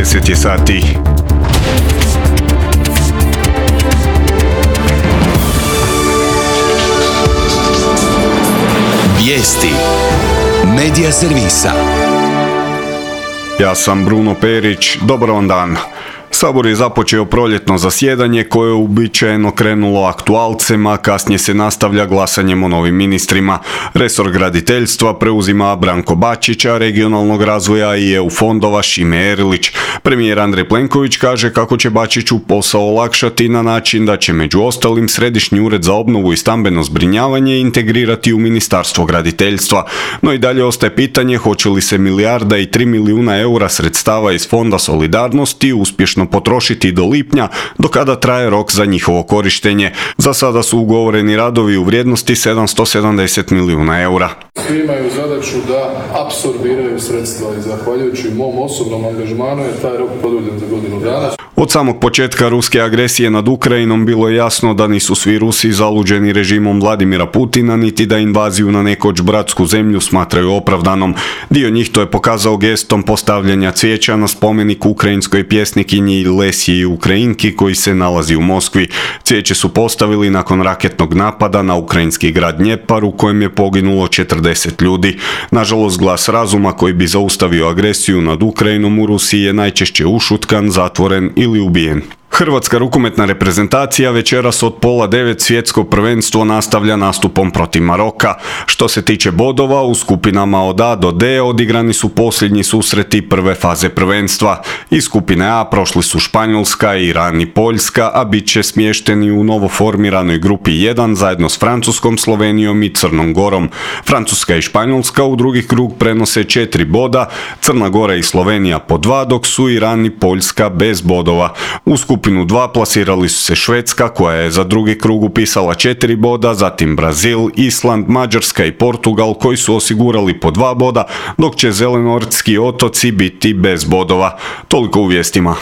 10 je sati. Vijesti Medija servisa. Ja sam Bruno Perić, dobar vam dan. Sabor je započeo proljetno zasjedanje koje je uobičajeno krenulo aktualcem, a kasnije se nastavlja glasanjem o novim ministrima. Resor graditeljstva preuzima Branko Bačić, a regionalnog razvoja i EU fondova Šime Erlić. Premijer Andrej Plenković kaže kako će Bačiću posao olakšati na način da će među ostalim Središnji ured za obnovu i stambeno zbrinjavanje integrirati u Ministarstvo graditeljstva. No i dalje ostaje pitanje hoće li se 1,3 milijuna eura sredstava iz Fonda solidarnosti uspješno potrošiti do lipnja, do kada traje rok za njihovo korištenje. Za sada su ugovoreni radovi u vrijednosti 770 milijuna eura. Svi imaju zadaću da apsorbiraju sredstva i zahvaljujući mom osobnom angažmanu je taj rok produljen za godinu dana. Od samog početka ruske agresije nad Ukrajinom bilo je jasno da nisu svi Rusi zaluđeni režimom Vladimira Putina, niti da invaziju na nekoć bratsku zemlju smatraju opravdanom. Dio njih to je pokazao gestom postavljanja cvijeća na spomenik ukrajinskoj pjesnikinji Lesiji Ukrajinki koji se nalazi u Moskvi. Cvijeće su postavili nakon raketnog napada na ukrajinski grad Dnjepar u kojem je poginulo 40 ljudi. Nažalost, glas razuma koji bi zaustavio agresiju nad Ukrajinom u Rusiji je najčešće ušutkan, zatvoren ili ubijen. Hrvatska rukometna reprezentacija večeras od 8:30 svjetsko prvenstvo nastavlja nastupom protiv Maroka. Što se tiče bodova, u skupinama od A do D odigrani su posljednji susreti prve faze prvenstva. Iz skupine A prošli su Španjolska, Iran i Poljska, a bit će smješteni u novoformiranoj grupi 1 zajedno s Francuskom, Slovenijom i Crnom Gorom. Francuska i Španjolska u drugi krug prenose 4 boda, Crna Gora i Slovenija po 2, dok su Iran i Poljska bez bodova. U skupinu 2 plasirali su se Švedska koja je za drugi krug upisala 4 boda, zatim Brazil, Island, Mađarska i Portugal koji su osigurali po 2 boda, dok će Zelenortski otoci biti bez bodova. Toliko u vijestima.